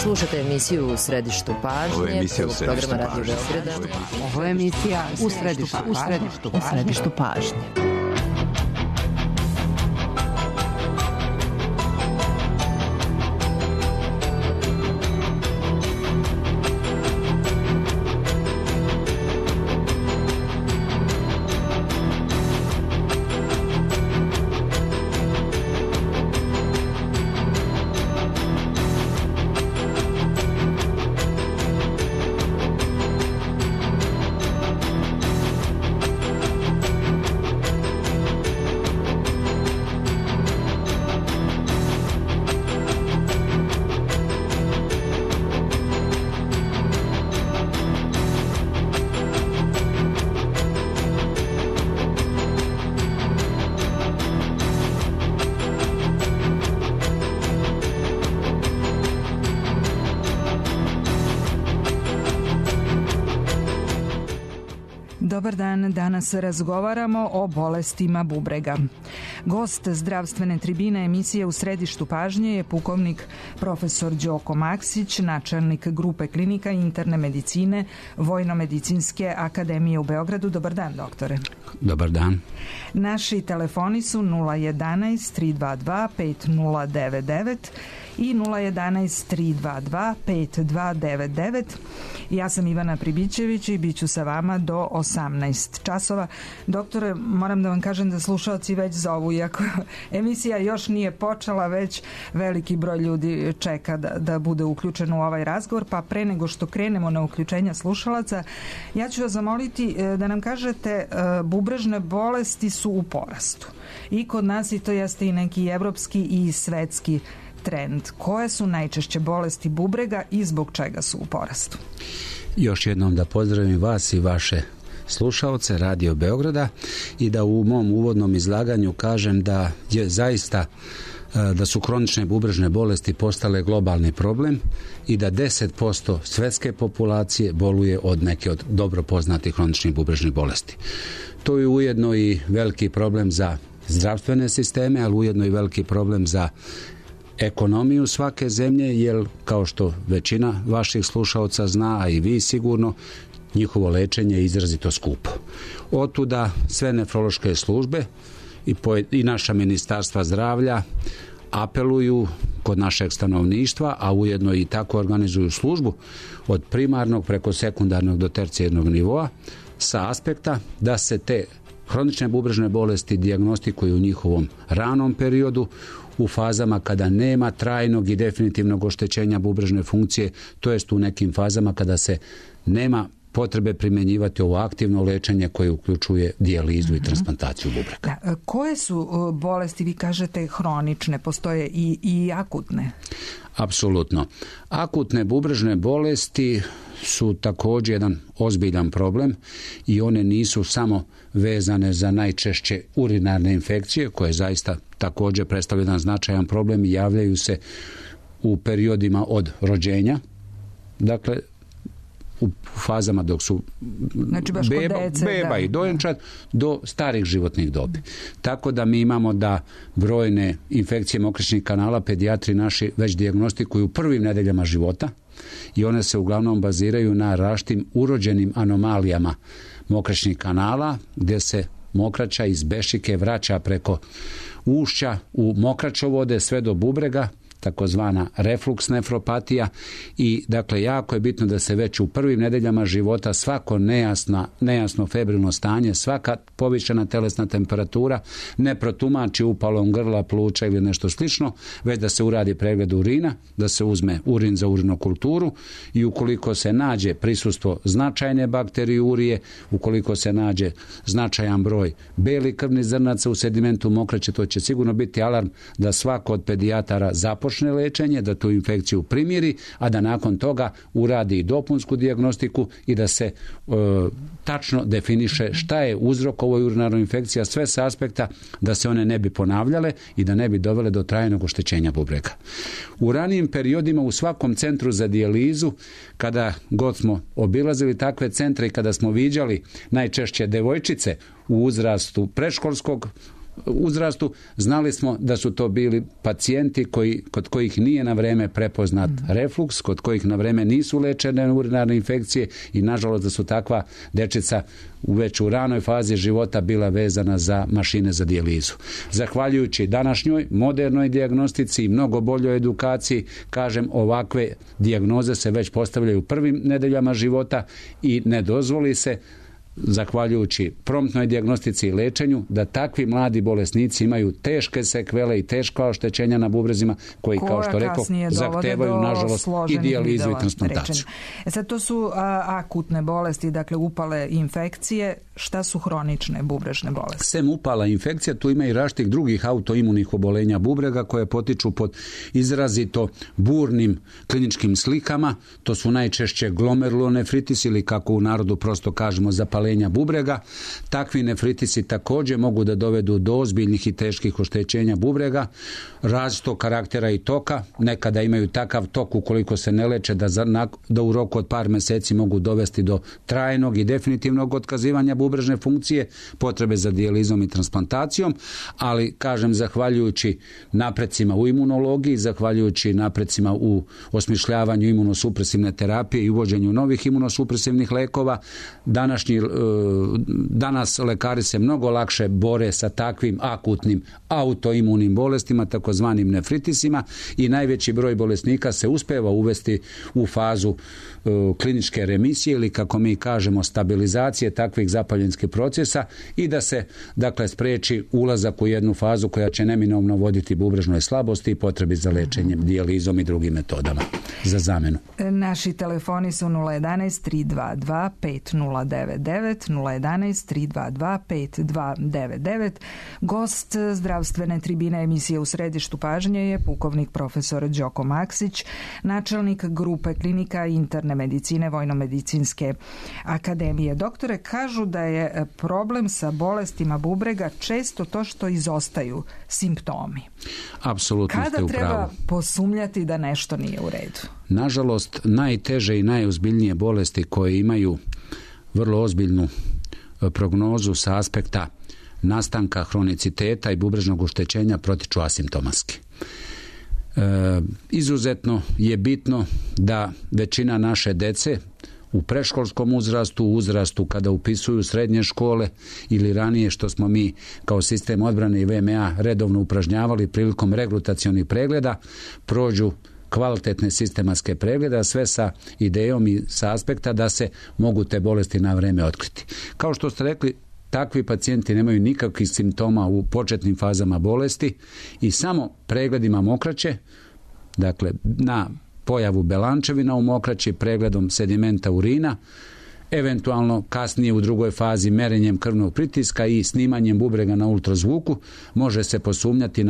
Slušate emisiju U središtu pažnje, programa Radio Beograda. Ovo je emisija U središtu pažnje. Dobar dan, danas razgovaramo o bolestima bubrega. Gost zdravstvene tribine emisije U središtu pažnje je pukovnik profesor Đoko Maksić, načelnik grupe klinika interne medicine Vojno-medicinske akademije u Beogradu. Dobar dan, doktore. Dobar dan. Naši telefoni su 011 322 5099 i 011 322 5299. Ja sam Ivana Pribićević i bit ću sa vama do 18 časova. Doktore, moram da vam kažem da slušalci već zovu, iako emisija još nije počela, već veliki broj ljudi čeka da bude uključen u ovaj razgovor, pa pre nego što krenemo na uključenja slušalaca, ja ću vas zamoliti da nam kažete, bubrežne bolesti su u porastu. I kod nas, i to jeste i neki evropski i svetski trend. Koje su najčešće bolesti bubrega i zbog čega su u porastu? Još jednom da pozdravim vas i vaše slušaoce Radio Beograda i da u mom uvodnom izlaganju kažem da je zaista da su kronične bubrežne bolesti postale globalni problem i da 10% svetske populacije boluje od neke od dobro poznatih kroničnih bubrežnih bolesti. To je ujedno i veliki problem za zdravstvene sisteme, ali ujedno i veliki problem za ekonomiju svake zemlje, jer kao što većina vaših slušaoca zna, a i vi sigurno, njihovo lečenje je izrazito skupo. Otuda sve nefrološke službe i naša ministarstva zdravlja apeluju kod našeg stanovništva, a ujedno i tako organizuju službu od primarnog preko sekundarnog do tercijarnog nivoa sa aspekta da se te kronične bubrežne bolesti dijagnostikuju u njihovom ranom periodu, u fazama kada nema trajnog i definitivnog oštećenja bubrežne funkcije, to jest u nekim fazama kada se nema potrebe primjenjivati ovo aktivno lečenje koje uključuje dijalizu i transplantaciju bubrega. Da, koje su bolesti, vi kažete, hronične, postoje i akutne? Apsolutno. Akutne bubrežne bolesti su također jedan ozbiljan problem i one nisu samo vezane za najčešće urinarne infekcije, koje zaista također predstavljaju jedan značajan problem i javljaju se u periodima od rođenja, dakle u fazama dok su beba i dojenčad do starih životnih dobi. Tako da mi imamo da brojne infekcije mokraćnih kanala pedijatri naši već dijagnostikuju u prvim nedeljama života i one se uglavnom baziraju na različitim urođenim anomalijama mokraćnih kanala, gdje se mokraća iz bešike vraća preko ušća u mokraćovode sve do bubrega, takozvana refluks nefropatija, i dakle jako je bitno da se već u prvim nedeljama života svako nejasno febrilno stanje, svaka povišena telesna temperatura ne protumači upalom grla, pluća ili nešto slično, već da se uradi pregled urina, da se uzme urin za urinokulturu i ukoliko se nađe prisustvo značajne bakteriurije, ukoliko se nađe značajan broj belih krvnih zrnaca u sedimentu mokraće, to će sigurno biti alarm da svako od pedijatara započne lečenje, da tu infekciju primiri, a da nakon toga uradi i dopunsku dijagnostiku i da se tačno definiše šta je uzrok ovoj urinarnoj infekciji, a sve sa aspekta da se one ne bi ponavljale i da ne bi dovele do trajnog oštećenja bubrega. U ranijim periodima u svakom centru za dijalizu, kada god smo obilazili takve centre i kada smo viđali najčešće devojčice u uzrastu predškolskog uzrastu, znali smo da su to bili pacijenti kod kojih nije na vreme prepoznat refluks, kod kojih na vreme nisu lečene urinarne infekcije i nažalost da su takva dečica već u ranoj fazi života bila vezana za mašine za dijalizu. Zahvaljujući današnjoj modernoj dijagnostici i mnogo boljoj edukaciji, kažem, ovakve dijagnoze se već postavljaju u prvim nedeljama života i ne dozvoli se, zahvaljujući promptnoj dijagnostici i lečenju, da takvi mladi bolesnici imaju teške sekvele i teška oštećenja na bubrezima koji, kao što rekao, zahtevaju nažalost i dijalizu i transplantaciju. Sad to su akutne bolesti, dakle upale infekcije. Šta su hronične bubrežne bolesti? Sem upala infekcija, tu ima i različitih drugih autoimunih obolenja bubrega koje potiču pod izrazito burnim kliničkim slikama. To su najčešće glomerulonefritis ili, kako u narodu prosto kažemo, zapalenja bubrega. Takvi nefritisi također mogu da dovedu do ozbiljnih i teških oštećenja bubrega, različitog karaktera i toka. Nekada imaju takav tok ukoliko se ne leče da u roku od par meseci mogu dovesti do trajnog i definitivnog otkazivanja bubrežne funkcije, potrebe za dijalizom i transplantacijom, ali, kažem, zahvaljujući naprecima u imunologiji, zahvaljujući naprecima u osmišljavanju imunosupresivne terapije i uvođenju novih imunosupresivnih lekova, danas lekari se mnogo lakše bore sa takvim akutnim autoimunim bolestima, takozvanim nefritisima, i najveći broj bolesnika se uspeva uvesti u fazu kliničke remisije ili, kako mi kažemo, stabilizacije takvih zapaljenskih procesa i da se, dakle, spreči ulazak u jednu fazu koja će neminovno voditi bubrežnoj slabosti i potrebi za lečenjem, dijalizom i drugim metodama za zamenu. Naši telefoni su 011 322 5099, 011 322 5299. Gost zdravstvene tribine emisije U središtu pažnje je pukovnik profesor Đoko Maksić, načelnik grupe klinika interne medicine Vojnomedicinske akademije. Doktore, kažu da je problem sa bolestima bubrega često to što izostaju simptomi. Apsolutno ste u pravu. Kada treba posumnjati da nešto nije u redu? Nažalost, najteže i najozbiljnije bolesti koje imaju vrlo ozbiljnu prognozu sa aspekta nastanka hroniciteta i bubrežnog oštećenja protiču asimptomatski. Izuzetno je bitno da većina naše dece u predškolskom uzrastu, u uzrastu kada upisuju srednje škole ili ranije, što smo mi kao sistem odbrane i VMA redovno upražnjavali prilikom regrutacionih pregleda, prođu kvalitetne sistematske preglede, a sve sa idejom i sa aspekta da se mogu te bolesti na vreme otkriti. Kao što ste rekli, takvi pacijenti nemaju nikakvih simptoma u početnim fazama bolesti i samo pregledima mokraće, dakle na pojavu belančevina u mokraći, pregledom sedimenta urina, eventualno kasnije u drugoj fazi merenjem krvnog pritiska i snimanjem bubrega na ultrazvuku može se posumnjati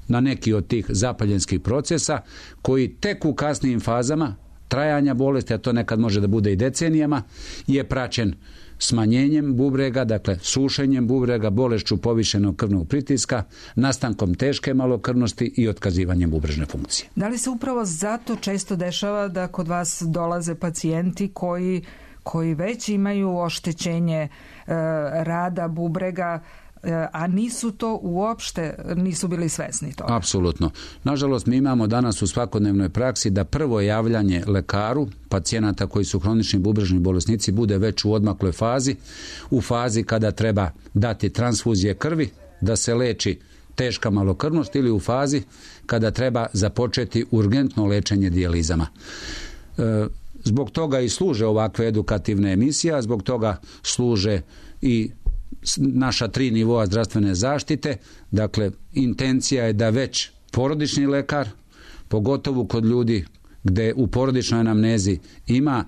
na neki od tih zapaljenskih procesa koji tek u kasnijim fazama trajanja bolesti, a to nekad može da bude i decenijama, je praćen smanjenjem bubrega, dakle sušenjem bubrega, bolešću povišenog krvnog pritiska, nastankom teške malokrvnosti i otkazivanjem bubrežne funkcije. Da li se upravo zato često dešava da kod vas dolaze pacijenti koji već imaju oštećenje rada bubrega, a nisu to uopšte, nisu bili svesni toga? Apsolutno. Nažalost, mi imamo danas u svakodnevnoj praksi da prvo javljanje lekaru pacijenata koji su hronični bubrežni bolesnici bude već u odmakloj fazi, u fazi kada treba dati transfuzije krvi, da se leči teška malokrvnost, ili u fazi kada treba započeti urgentno lečenje dijalizama. Zbog toga i služe ovakve edukativne emisije, a zbog toga služe i naša 3 nivoa zdravstvene zaštite. Dakle, intencija je da već porodični lekar, pogotovo kod ljudi gde u porodičnoj anamnezi ima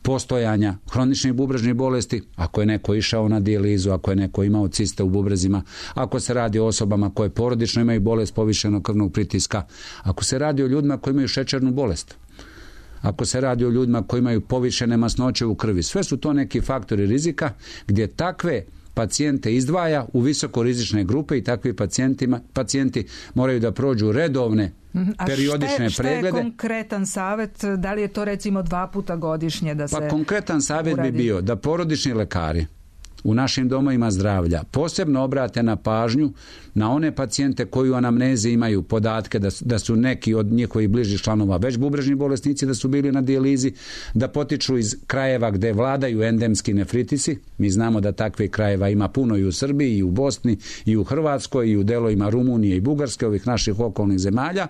postojanja hroničnih bubrežnih bolesti, ako je neko išao na dijalizu, ako je neko imao ciste u bubrezima, ako se radi o osobama koje porodično imaju bolest povišenog krvnog pritiska, ako se radi o ljudima koji imaju šećernu bolest, ako se radi o ljudima koji imaju povišene masnoće u krvi, sve su to neki faktori rizika gdje takve pacijente izdvaja u visokorizične grupe i takvi pacijenti moraju da prođu redovne periodične preglede. Šta je konkretan savjet? Da li je to recimo 2 puta godišnje da se konkretan savjet bi bio da porodični lekari u našim domovima zdravlja posebno obrate na pažnju na one pacijente koji u anamnezi imaju podatke da su neki od njihovih bližih članova već bubrežni bolesnici, da su bili na dijalizi, da potiču iz krajeva gde vladaju endemski nefritisi. Mi znamo da takvih krajeva ima puno i u Srbiji, i u Bosni, i u Hrvatskoj, i u delovima Rumunije i Bugarske, ovih naših okolnih zemalja.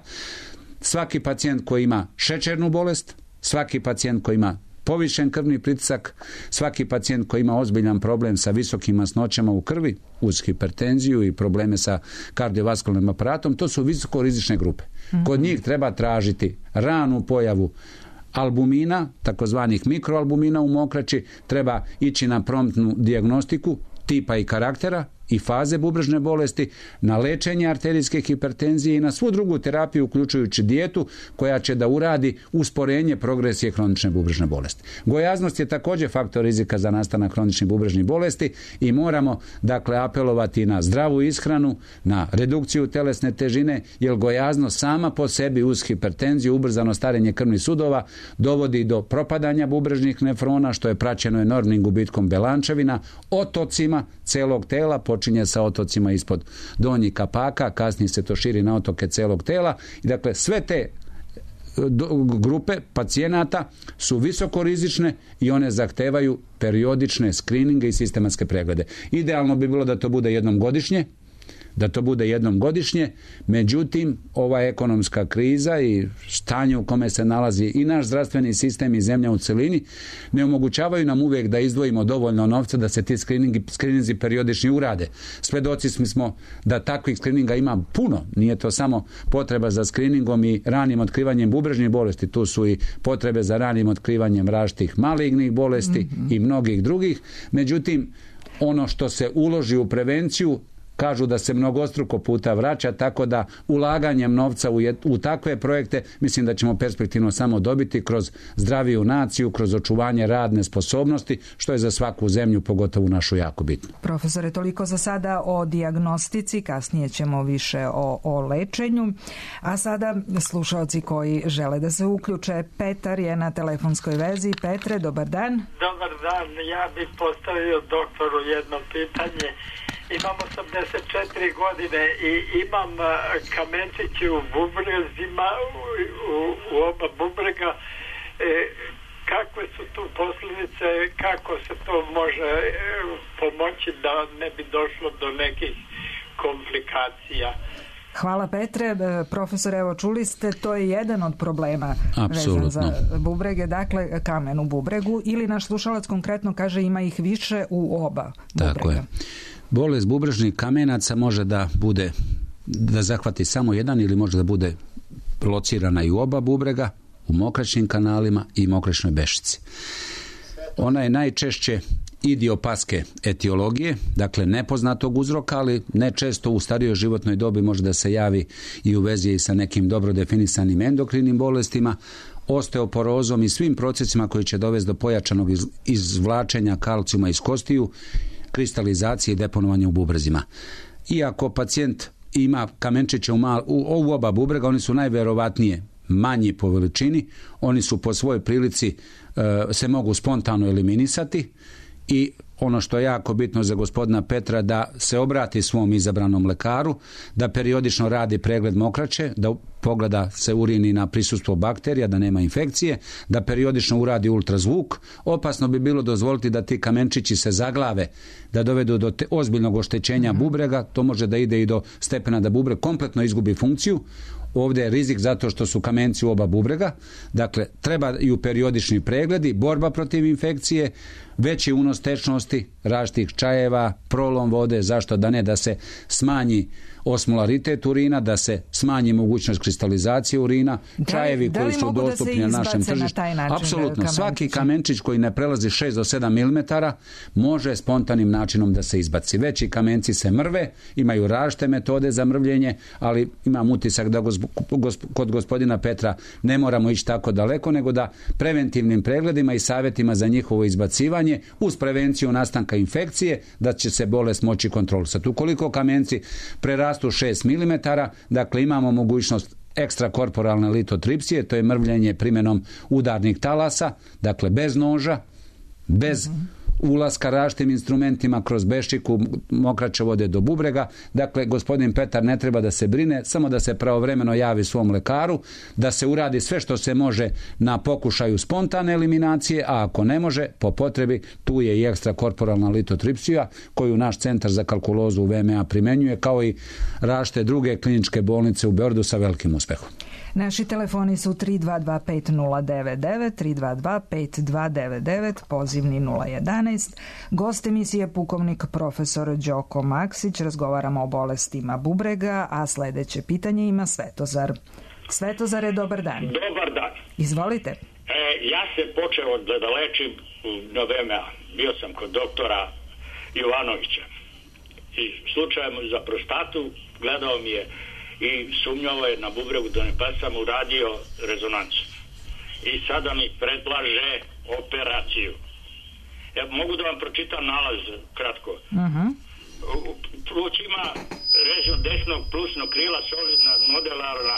Svaki pacijent koji ima šećernu bolest, svaki pacijent koji ima povišen krvni pritisak, svaki pacijent koji ima ozbiljan problem sa visokim masnoćama u krvi, uz hipertenziju i probleme sa kardiovaskularnim aparatom, to su visoko rizične grupe. Kod njih treba tražiti ranu pojavu albumina, takozvanih mikroalbumina u mokraći, treba ići na promptnu dijagnostiku tipa i karaktera i faze bubrežne bolesti, na lečenje arterijske hipertenzije i na svu drugu terapiju, uključujući dijetu koja će da uradi usporenje progresije kronične bubrežne bolesti. Gojaznost je također faktor rizika za nastanak kroničnih bubrežnih bolesti i moramo dakle apelovati na zdravu ishranu, na redukciju telesne težine, jer gojaznost sama po sebi uz hipertenziju, ubrzano starenje krvnih sudova dovodi do propadanja bubrežnih nefrona, što je praćeno enormnim gubitkom belančevina, otocima celog tela, počinje sa otocima ispod donjih kapaka, kasnije se to širi na otoke celog tela i dakle sve te grupe pacijenata su visoko rizične i one zahtevaju periodične skrininge i sistematske preglede. Idealno bi bilo da to bude jednom godišnje, međutim ova ekonomska kriza i stanje u kome se nalazi i naš zdravstveni sistem i zemlja u celini ne omogućavaju nam uvijek da izdvojimo dovoljno novca da se ti skrininzi periodični urade. Svedoci smo da takvih skrininga ima puno, nije to samo potreba za skriningom i ranim otkrivanjem bubrežnih bolesti, tu su i potrebe za ranim otkrivanjem različitih malignih bolesti i mnogih drugih, međutim ono što se uloži u prevenciju kažu da se mnogostruko puta vraća, tako da ulaganjem novca u takve projekte mislim da ćemo perspektivno samo dobiti kroz zdraviju naciju, kroz očuvanje radne sposobnosti, što je za svaku zemlju, pogotovo našu, jako bitno. Profesore, toliko za sada o dijagnostici, kasnije ćemo više o lečenju, a sada slušalci koji žele da se uključe. Petar je na telefonskoj vezi. Petre, dobar dan. Dobar dan, ja bih postavio doktoru jedno pitanje. Imam 84 godine i imam kamenčiće u bubrezima, u oba bubrega. Kakve su tu posljedice, kako se to može pomoći da ne bi došlo do nekih komplikacija? Hvala Petre. Profesor, evo čuli ste, to je jedan od problema Apsolutno. vezan za bubrege, dakle kamen u bubregu, ili naš slušalac konkretno kaže ima ih više u oba bubrega. Tako je. Bolest bubrežnih kamenaca može da zahvati samo jedan ili može da bude locirana i u oba bubrega, u mokraćnim kanalima i mokraćnoj bešici. Ona je najčešće idiopatske etiologije, dakle nepoznatog uzroka, ali ne često u starijoj životnoj dobi može da se javi i u vezi sa nekim dobro definisanim endokrinim bolestima, osteoporozom i svim procesima koji će dovesti do pojačanog izvlačenja kalcijuma iz kostiju, kristalizacije i deponovanja u bubrezima. Iako pacijent ima kamenčiće u oba bubrega, oni su najverovatnije manji po veličini, oni su po svojoj prilici se mogu spontano eliminisati i ono što je jako bitno za gospodina Petra, da se obrati svom izabranom lekaru, da periodično radi pregled mokraće, da pogleda se urini na prisustvo bakterija, da nema infekcije, da periodično uradi ultrazvuk. Opasno bi bilo dozvoliti da ti kamenčići se zaglave, da dovedu do ozbiljnog oštećenja bubrega, to može da ide i do stepena da bubreg kompletno izgubi funkciju. Ovdje je rizik zato što su kamenci u oba bubrega, dakle trebaju periodični pregledi, borba protiv infekcije, veći unos tečnosti, različitih čajeva, prolom vode, zašto da ne, da se smanji osmolaritet urina, da se smanji mogućnost kristalizacije urina, čajevi koji su dostupni na našem tržištu. Apsolutno, svaki kamenčić koji ne prelazi 6 do 7 mm može spontanim načinom da se izbaci. Veći kamenci se mrve, imaju različite metode za mrvljenje, ali imam utisak da kod gospodina Petra ne moramo ići tako daleko, nego da preventivnim pregledima i savjetima za njihovo izbacivanje uz prevenciju nastanka infekcije, da će se bolest moći kontrolisati. Ukoliko kamenci prerastu 6 mm, dakle imamo mogućnost ekstrakorporalne litotripsije, to je mrvljenje primjenom udarnih talasa, dakle bez noža, bez ulaska različitim instrumentima kroz Bešiku, mokraće vode do bubrega. Dakle, gospodin Petar ne treba da se brine, samo da se pravovremeno javi svom lekaru, da se uradi sve što se može na pokušaju spontane eliminacije, a ako ne može, po potrebi, tu je i ekstrakorporalna litotripsija koju naš centar za kalkulozu u VMA primenjuje, kao i različite druge kliničke bolnice u Beogradu sa velikim uspehom. Naši telefoni su 322-5099, 322-5299, pozivni 011. Gost emisije pukovnik profesor Đoko Maksić. Razgovaramo o bolestima bubrega, a sledeće pitanje ima Svetozar. Svetozare, dobar dan. Dobar dan. Izvolite. Ja se počeo da lečim na VMA. Bio sam kod doktora Jovanovića. I slučajno za prostatu gledao mi je i sumnjao je na bubregu da ne pa sam uradio rezonancu. I sada mi predlaže operaciju. Mogu da vam pročitam nalaz kratko. U plućima režim desnog plusnog krila solidna modelarna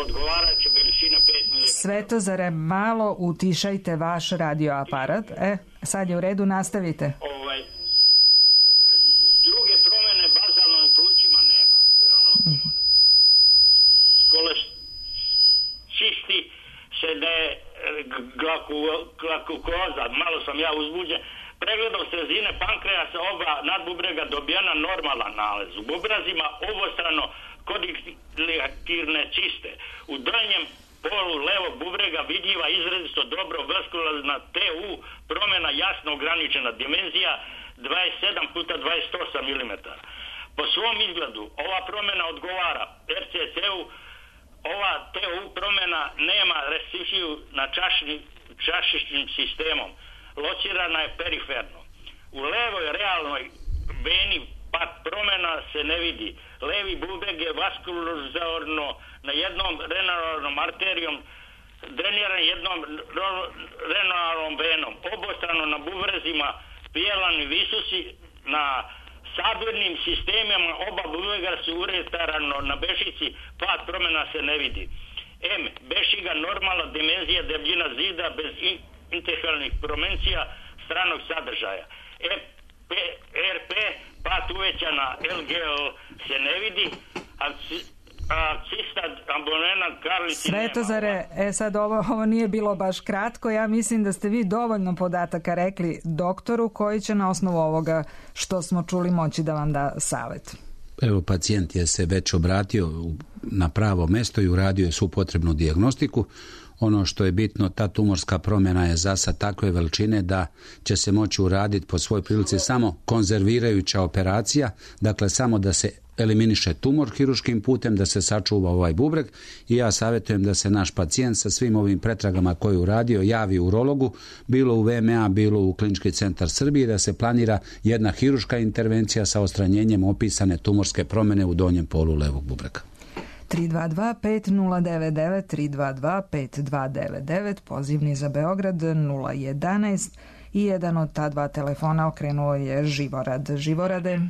odgovarajuća veličina 5 mm. Svetozare, malo utišajte vaš radioaparat. Sad je u redu, nastavite. Druge promene bazalno u plućima nema. Čisti se da je glakukoza, malo sam ja uzbuđen. Pregledom srezine pankreasa oba nadbubrega dobijena normalan nalaz. U bubrazima obostrano kodiktirne ciste. U donjem polu levog bubrega vidljiva izrazito dobro vaskularna TU, promjena jasno ograničena, dimenzija 27x28 mm. Po svom izgledu ova promjena odgovara RCT-u, ova TU promjena nema restrikciju na čašičnim sistemom, locirana je periferno. U levoj realnoj veni pak promjena se ne vidi. Levi bubreg je vaskularno na jednom renalnom arterijom dreniran jednom renalnom venom. Obostrano na bubrezima pijelani visusi, na sabirnim sistemima oba bubrega su uretarano na bešici, pad promjena se ne vidi. Bešiga normalna dimenzija debljina zida bez interferalnih promencija stranog sadržaja. RP pad uvećana LGL se ne vidi, a cista ambonena karlici nema. Svetozare, sad ovo nije bilo baš kratko. Ja mislim da ste vi dovoljno podataka rekli doktoru koji će na osnovu ovoga što smo čuli moći da vam da savet. Evo, pacijent je se već obratio na pravo mesto i uradio je svu potrebnu dijagnostiku. Ono što je bitno, ta tumorska promjena je za sad takve veličine da će se moći uraditi po svoj prilici samo konzervirajuća operacija, dakle samo da se eliminiše tumor hiruškim putem, da se sačuva ovaj bubreg, i ja savjetujem da se naš pacijent sa svim ovim pretragama koje je uradio javi urologu, bilo u VMA, bilo u Klinički centar Srbije, da se planira jedna hiruška intervencija sa odstranjenjem opisane tumorske promjene u donjem polu levog bubrega. 322-5099, 322-5299, pozivni za Beograd 011 i jedan od ta dva telefona okrenuo je Živorad. Živorade.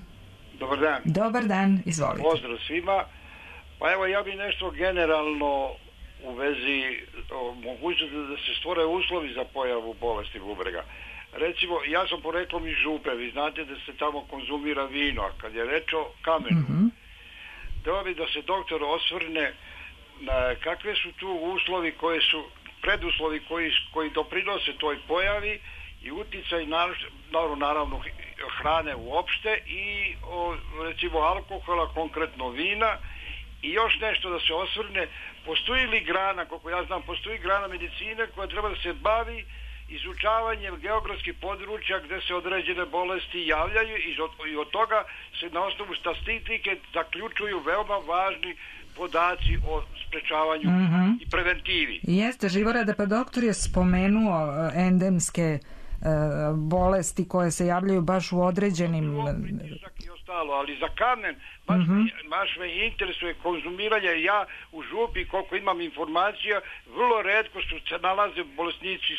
Dobar dan. Dobar dan, izvolite. Pozdrav svima. Pa evo, ja bi nešto generalno u vezi mogućnosti da se stvore uslovi za pojavu bolesti bubrega. Recimo, ja sam poreklom iz Župe, vi znate da se tamo konzumira vino, a kad je reč o kamenu, treba bi da se doktor osvrne na kakve su tu uslovi koje su, preduslovi koji doprinose toj pojavi i uticaj naravno hrane uopšte i recimo alkohola, konkretno vina. I još nešto da se osvrne, postoji li grana, koliko ja znam, postoji grana medicine koja treba da se bavi izučavanjem geografskih područja gde se određene bolesti javljaju i od toga se na osnovu statistike zaključuju veoma važni podaci o sprečavanju i preventivi. Jeste, Živorade, pa doktor je spomenuo endemske bolesti koje se javljaju baš u određenim... I ostalo, ali za kamen baš me interesuje konzumiranje. Ja u župi, koliko imam informacija, vrlo retko su se nalaze bolesnici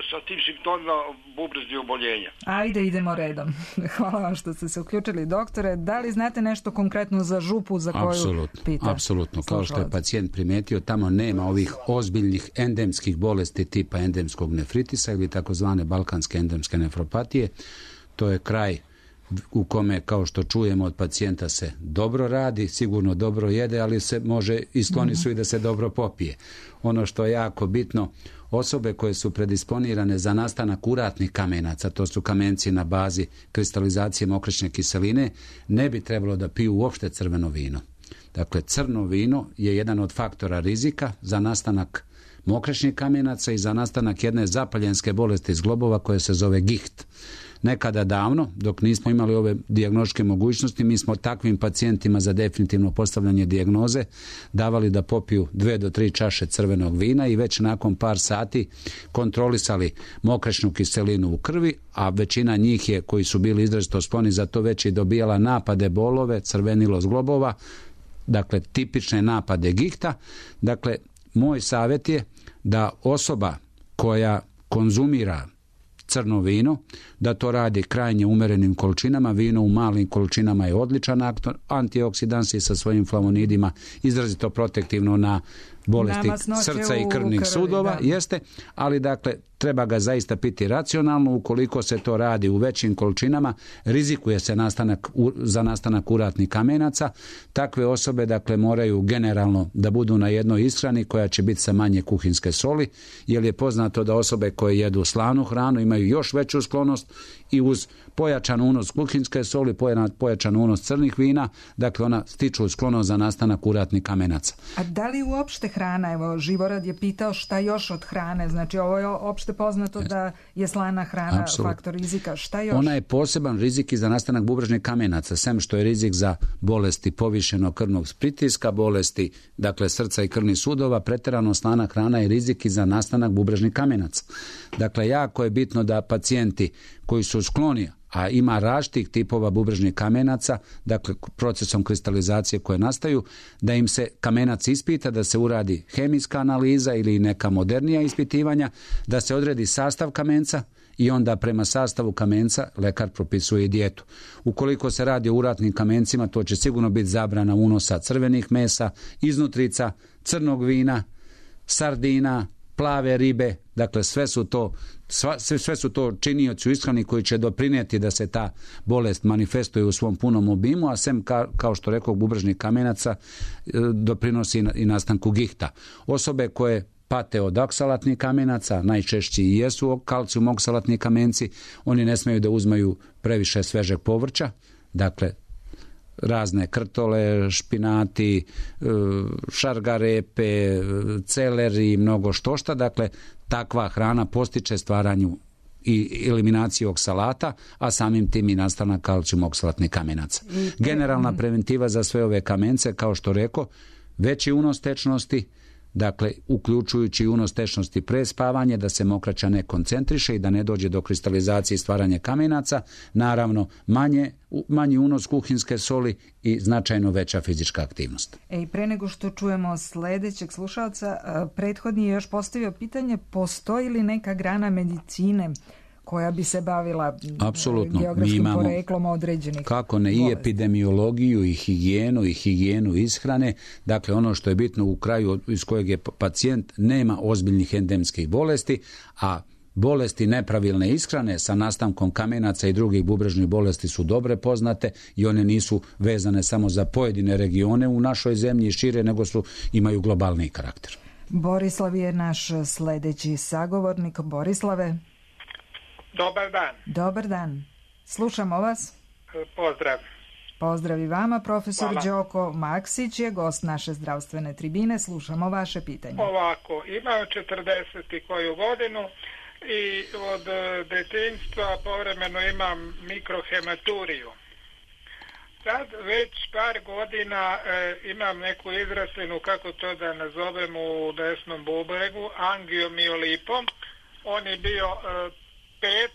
sa tim simptomima bubreznih oboljenja. Ajde, idemo redom. Hvala vam što ste se uključili, doktore. Da li znate nešto konkretno za župu za koju pita? Apsolutno. Kao što je pacijent primetio, tamo nema ovih ozbiljnih endemskih bolesti tipa endemskog nefritisa ili takozvane balkanske endemske nefropatije. To je kraj u kome, kao što čujemo od pacijenta, se dobro radi, sigurno dobro jede, ali se može i skloni su i da se dobro popije. Ono što je jako bitno, osobe koje su predisponirane za nastanak uratnih kamenaca, to su kamenci na bazi kristalizacije mokraćne kiseline, ne bi trebalo da piju uopšte crveno vino. Dakle, crno vino je jedan od faktora rizika za nastanak mokraćnih kamenaca i za nastanak jedne zapaljenske bolesti zglobova koja se zove giht. Nekada davno, dok nismo imali ove dijagnostičke mogućnosti, mi smo takvim pacijentima za definitivno postavljanje dijagnoze davali da popiju 2 do 3 čaše crvenog vina i već nakon par sati kontrolisali mokraćnu kiselinu u krvi, a većina njih je, koji su bili izrazito skloni za to, već i dobijala napade bolove, crvenilo zglobova, dakle tipične napade gihta. Dakle, moj savjet je da osoba koja konzumira crno vino, da to radi krajnje umerenim količinama. Vino u malim količinama je odličan antioksidans i sa svojim flavonidima izrazito protektivno na bolesti srca i krvnih sudova, jeste, ali dakle treba ga zaista piti racionalno. Ukoliko se to radi u većim količinama, rizikuje se za nastanak uratnih kamenaca. Takve osobe dakle moraju generalno da budu na jednoj ishrani koja će biti sa manje kuhinske soli, jer je poznato da osobe koje jedu slanu hranu imaju još veću sklonost i uz pojačan unos kuhinske soli, pojačan unos crnih vina, dakle ona stiču sklonost za nastanak uratnih kamenaca. A da li uopšte hrana, evo Živorad je pitao šta još od hrane, znači ovo je opšte poznato da je slana hrana faktor rizika, šta još? Ona je poseban rizik i za nastanak bubrežnih kamenaca, sem što je rizik za bolesti povišenog krvnog pritiska, bolesti dakle srca i krvnih sudova, pretjerano slana hrana je rizik i za nastanak bubrežnih kamenaca. Dakle, jako je bitno da pacijenti koji su skloni, a ima različitih tipova bubrežnih kamenaca, dakle procesom kristalizacije koje nastaju, da im se kamenac ispita, da se uradi hemijska analiza ili neka modernija ispitivanja, da se odredi sastav kamenca i onda prema sastavu kamenca lekar propisuje dijetu. Ukoliko se radi o uratnim kamencima, to će sigurno biti zabrana unosa crvenih mesa, iznutrica, crnog vina, sardina, plave ribe, dakle sve su to činioci u ishrani koji će doprinijeti da se ta bolest manifestuje u svom punom obimu, a sem kao što rekao bubrežnih kamenaca doprinosi i nastanku gihta. Osobe koje pate od oksalatnih kamenaca, najčešći i jesu kalcijum oksalatni kamenci, oni ne smiju da uzmaju previše svežeg povrća, dakle razne krtole, špinati, šargarepe, celeri i mnogo štošta. Dakle, takva hrana postiče stvaranju i eliminaciju oksalata, a samim tim i nastanak kalcijum oksalatnih kamenaca. Generalna preventiva za sve ove kamence, kao što rekao, veći unos tečnosti, dakle, uključujući unos tečnosti pre spavanja, da se mokraća ne koncentriše i da ne dođe do kristalizacije i stvaranja kamenaca, naravno manji unos kuhinske soli i značajno veća fizička aktivnost. Pre nego što čujemo sljedećeg slušalca, prethodni je još postavio pitanje, postoji li neka grana medicine koja bi se bavila geografskim poreklom određenih kako ne bolesti. I epidemiologiju i higijenu ishrane, dakle ono što je bitno u kraju iz kojeg je pacijent nema ozbiljnih endemskih bolesti, a bolesti nepravilne ishrane sa nastankom kamenaca i drugih bubrežnih bolesti su dobre poznate i one nisu vezane samo za pojedine regione u našoj zemlji i šire, nego imaju globalni karakter. Borislav je naš sljedeći sagovornik. Borislave. Dobar dan. Dobar dan. Slušamo vas. Pozdrav. Pozdrav i vama. Profesor Đoko Maksić je gost naše zdravstvene tribine. Slušamo vaše pitanje. Ovako, imam 40 koju godinu i od detinjstva povremeno imam mikrohematuriju. Sad već par godina imam neku izrastinu, kako to da nazovem, u desnom bubregu, angiomiolipom. On je bio 5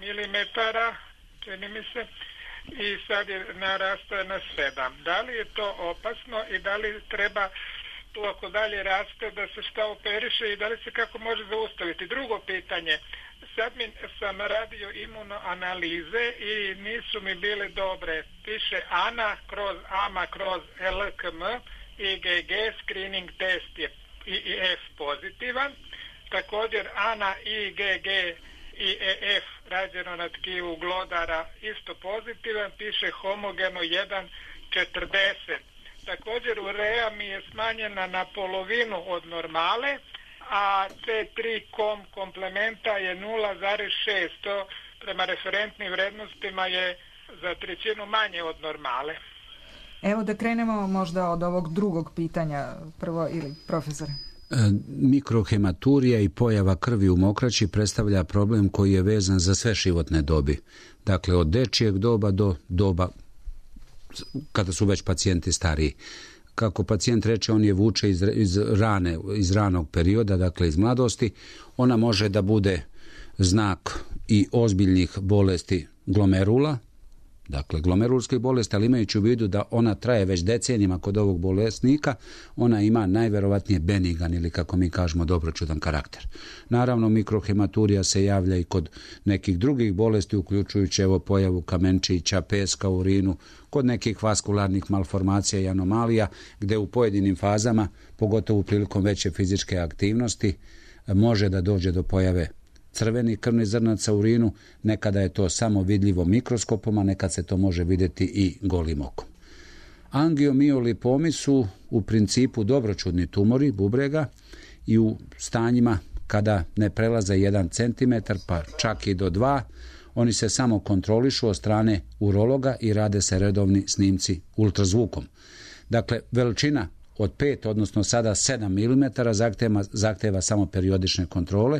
milimetara, čini mi se, i sad je narastao na 7. Da li je to opasno i da li treba tu ako dalje raste da se šta operiše i da li se kako može zaustaviti? Drugo pitanje, sad sam radio imunoanalize i nisu mi bile dobre. Piše ANA kroz AMA kroz LKM, IgG, screening test je IF pozitivan. Također ANA, IgG i EF rađeno na tkivu glodara isto pozitivan, piše homogeno 1,40. Također urea mi je smanjena na polovinu od normale, a T3 komplementa je 0,6, to prema referentnim vrednostima je za trećinu manje od normale. Evo da krenemo možda od ovog drugog pitanja prvo, ili profesore. Mikrohematurija i pojava krvi u mokraći predstavlja problem koji je vezan za sve životne dobi. Dakle, od dečijeg doba do doba kada su već pacijenti stariji. Kako pacijent reče, on je vuče iz ranog perioda, dakle iz mladosti. Ona može da bude znak i ozbiljnih bolesti glomerula, dakle glomerulskih bolesti, ali imajući u vidu da ona traje već decenijima kod ovog bolesnika, ona ima najverovatnije benigan ili kako mi kažemo dobroćudan karakter. Naravno, mikrohematurija se javlja i kod nekih drugih bolesti, uključujući evo pojavu kamenčića, peska u urinu, kod nekih vaskularnih malformacija i anomalija, gde u pojedinim fazama, pogotovo prilikom veće fizičke aktivnosti, može da dođe do pojave crvenih krvnih zrnaca u urinu. Nekada je to samo vidljivo mikroskopom, a nekad se to može vidjeti i golim okom. Angiomiolipomi su u principu dobroćudni tumori bubrega i u stanjima kada ne prelaze 1 cm, pa čak i do 2, oni se samo kontrolišu od strane urologa i rade se redovni snimci ultrazvukom. Dakle, veličina od 5, odnosno sada 7 mm zahteva samo periodične kontrole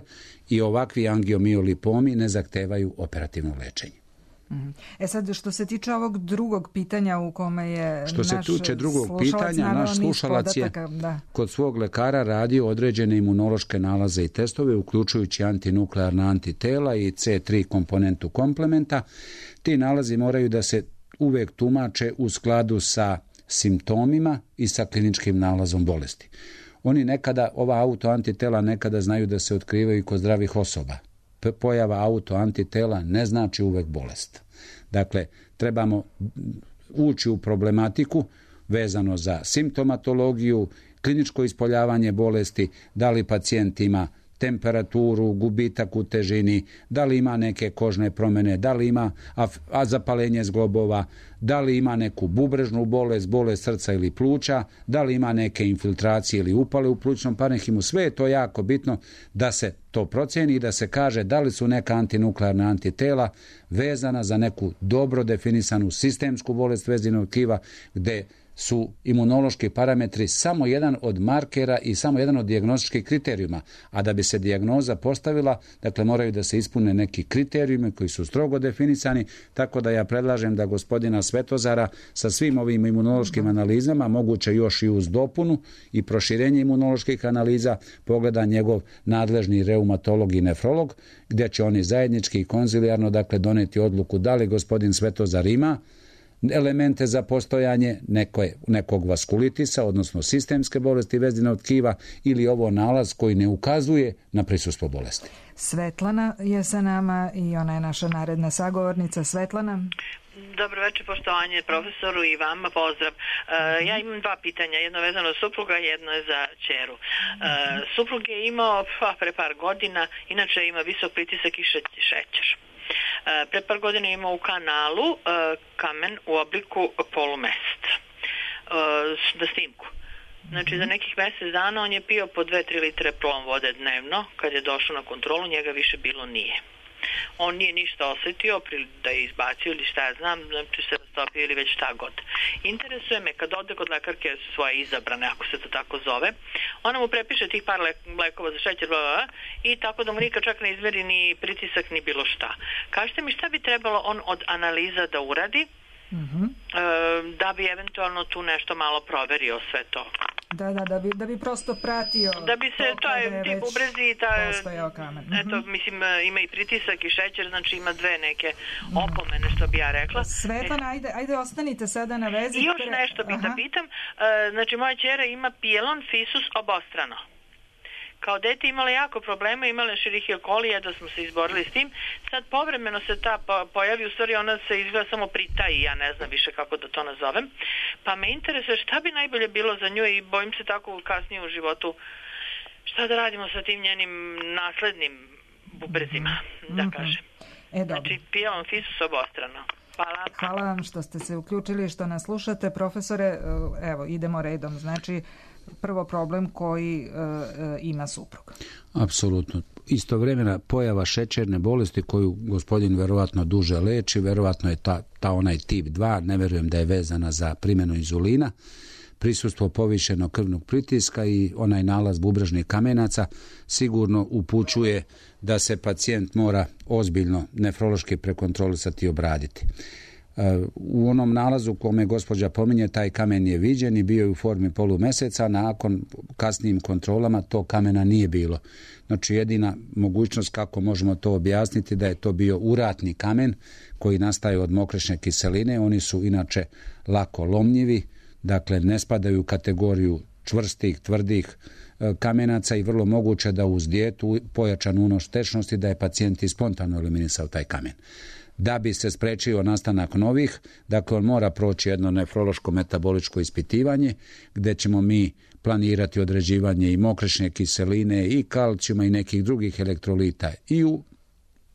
i ovakvi angiomiolipomi ne zahtevaju operativno lečenje. Sad, što se tiče ovog drugog pitanja u kome je naš slušalac je kod svog lekara radio određene imunološke nalaze i testove, uključujući antinuklearna antitela i C3 komponentu komplementa. Ti nalazi moraju da se uvek tumače u skladu sa simptomima i sa kliničkim nalazom bolesti. Oni nekada, ova autoantitela nekada znaju da se otkrivaju kod zdravih osoba. Pojava autoantitela ne znači uvek bolest. Dakle, trebamo ući u problematiku vezano za simptomatologiju, kliničko ispoljavanje bolesti, da li pacijent ima temperaturu, gubitak u težini, da li ima neke kožne promjene, da li ima zapalenje zglobova, da li ima neku bubrežnu bolest srca ili pluća, da li ima neke infiltracije ili upale u plućnom parenhimu. Sve je to jako bitno da se to procjeni i da se kaže da li su neka antinuklearna antitela vezana za neku dobro definisanu sistemsku bolest vezivnog tkiva, gde su imunološki parametri samo jedan od markera i samo jedan od dijagnostičkih kriterijuma, a da bi se dijagnoza postavila, dakle moraju da se ispune neki kriterijumi koji su strogo definisani, tako da ja predlažem da gospodina Svetozara sa svim ovim imunološkim analizama, moguće još i uz dopunu i proširenje imunoloških analiza, pogleda njegov nadležni reumatolog i nefrolog, gdje će oni zajednički i konzilijarno dakle doneti odluku da li gospodin Svetozar ima elemente za postojanje nekog vaskulitisa, odnosno sistemske bolesti vezivnog tkiva, ili ovo nalaz koji ne ukazuje na prisustvo bolesti. Svetlana je sa nama i ona je naša naredna sagovornica. Svetlana. Dobro večer, poštovanje profesoru i vama, pozdrav. Ja imam 2 pitanja, jedno vezano za supruga, jedno je za ćeru. Suprug je imao pre par godina, inače ima visok pritisak i šećer. Pre par godina imao u kanalu kamen u obliku polumeseca na snimku. Znači za nekih mjesec dana on je pio po 2-3 litre plom vode dnevno. Kad je došao na kontrolu, njega više bilo nije. On nije ništa osjetio da je izbacio ili šta ja znam, znači se rastopio ili već šta god. Interesuje me kad ode kod lekarke svoje izabrane, ako se to tako zove, ona mu prepiše tih par lekova za šećer, i tako da mu nikad čak ne izmeri ni pritisak ni bilo šta. Kažite mi šta bi trebalo on od analiza da uradi, da bi eventualno tu nešto malo proverio sve to. Da bi prosto pratio. Da bi se ti bubrezi i postojao kamen. Eto, mislim, ima i pritisak i šećer, znači ima dve neke opomene, što bi ja rekla. Svetana, ajde ostanite sada na vezi. I još nešto bi da pitam. Znači, moja ćera ima pijelon fisus obostrano. Kao dete imala jako problema, imala Escherichia coli, da smo se izborili s tim. Sad povremeno se ta pojavi, u stvari ona se izgleda samo pritaji, ja ne znam više kako da to nazovem. Pa me interesuje šta bi najbolje bilo za nju i bojim se tako kasnije u životu šta da radimo sa tim njenim naslednim bubrezima, da kažem. Znači, pijelon fisus obostrano. Hvala vam što ste se uključili, što nas slušate. Profesore, evo, idemo redom. Znači, prvo problem koji ima suprug. Apsolutno. Istovremena pojava šećerne bolesti koju gospodin verovatno duže leči, verovatno je ta onaj tip 2, ne verujem da je vezana za primjenu inzulina, prisustvo povišenog krvnog pritiska i onaj nalaz bubrežnih kamenaca sigurno upućuje da se pacijent mora ozbiljno nefrološki prekontrolisati i obraditi. U onom nalazu kome gospođa pominje, taj kamen je viđen i bio je u formi polumeseca, nakon kasnijim kontrolama to kamena nije bilo. Znači, jedina mogućnost kako možemo to objasniti da je to bio uratni kamen koji nastaje od mokrečne kiseline. Oni su inače lako lomljivi, dakle ne spadaju u kategoriju čvrstih, tvrdih kamenaca i vrlo moguće da uz dijetu, pojačan unos tečnosti, da je pacijent i spontano eliminisao taj kamen. Da bi se sprečio nastanak novih, dakle on mora proći jedno nefrološko metaboličko ispitivanje gdje ćemo mi planirati određivanje i mokrečne kiseline i kalcijuma i nekih drugih elektrolita i u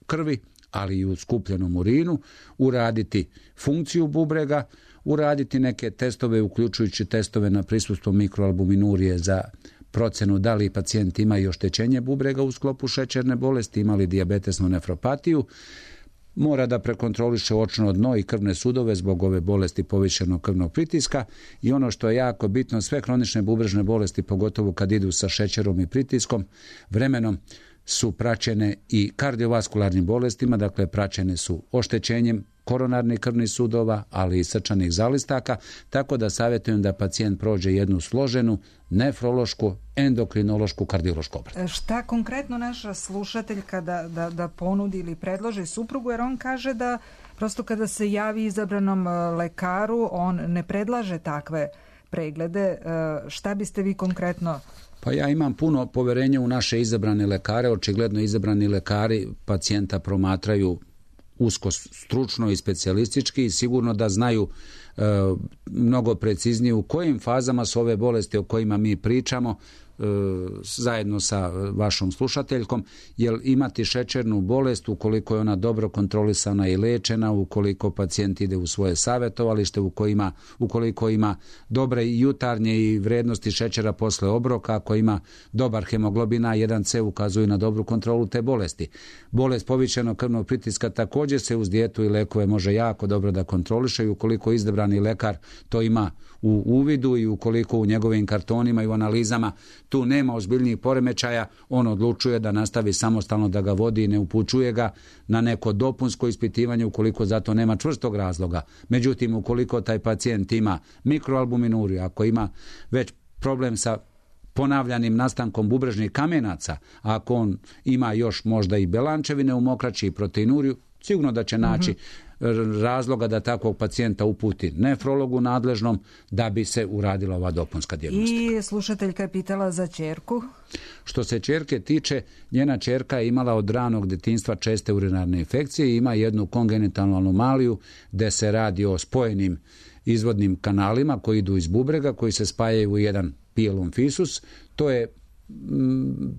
krvi, ali i u skupljenom urinu, uraditi funkciju bubrega, uraditi neke testove, uključujući testove na prisustvo mikroalbuminurije za procenu da li pacijent ima i oštećenje bubrega u sklopu šećerne bolesti, ima li dijabetesnu nefropatiju, mora da prekontroliše očno dno i krvne sudove zbog ove bolesti povišenog krvnog pritiska i ono što je jako bitno, sve kronične bubrežne bolesti, pogotovo kad idu sa šećerom i pritiskom, vremenom su praćene i kardiovaskularnim bolestima, dakle praćene su oštećenjem koronarnih krvnih sudova, ali i srčanih zalistaka, tako da savjetujem da pacijent prođe jednu složenu nefrološku, endokrinološku, kardiološku obradu. Šta konkretno naša slušateljka da ponudi ili predloži suprugu, jer on kaže da prosto kada se javi izabranom lekaru, on ne predlaže takve preglede. Šta biste vi konkretno... Pa ja imam puno poverenja u naše izabrane lekare. Očigledno izabrani lekari pacijenta promatraju usko stručno i specijalistički i sigurno da znaju mnogo preciznije u kojim fazama su ove bolesti o kojima mi pričamo zajedno sa vašom slušateljkom, jer imati šećernu bolest ukoliko je ona dobro kontrolisana i lečena, ukoliko pacijent ide u svoje savjetovalište, ukoliko ima dobre jutarnje i vrednosti šećera posle obroka, ako ima dobar hemoglobin A1C, ukazuju na dobru kontrolu te bolesti. Bolest povišenog krvnog pritiska također se uz dijetu i lekove može jako dobro da kontroliše i ukoliko izabrani lekar to ima u uvidu i ukoliko u njegovim kartonima i u analizama tu nema ozbiljnijih poremećaja, on odlučuje da nastavi samostalno da ga vodi i ne upućuje ga na neko dopunsko ispitivanje ukoliko za to nema čvrstog razloga. Međutim, ukoliko taj pacijent ima mikroalbuminuriju, ako ima već problem sa ponavljanim nastankom bubrežnih kamenaca, ako on ima još možda i belančevine u mokraći i proteinuriju, sigurno da će naći razloga da takvog pacijenta uputi nefrologu nadležnom da bi se uradila ova dopunska dijagnostika. I slušateljka je pitala za ćerku. Što se ćerke tiče, njena ćerka je imala od ranog djetinjstva česte urinarne infekcije i ima jednu kongenitalnu anomaliju gdje se radi o spojenim izvodnim kanalima koji idu iz bubrega, koji se spajaju u jedan pijelon fisus. To je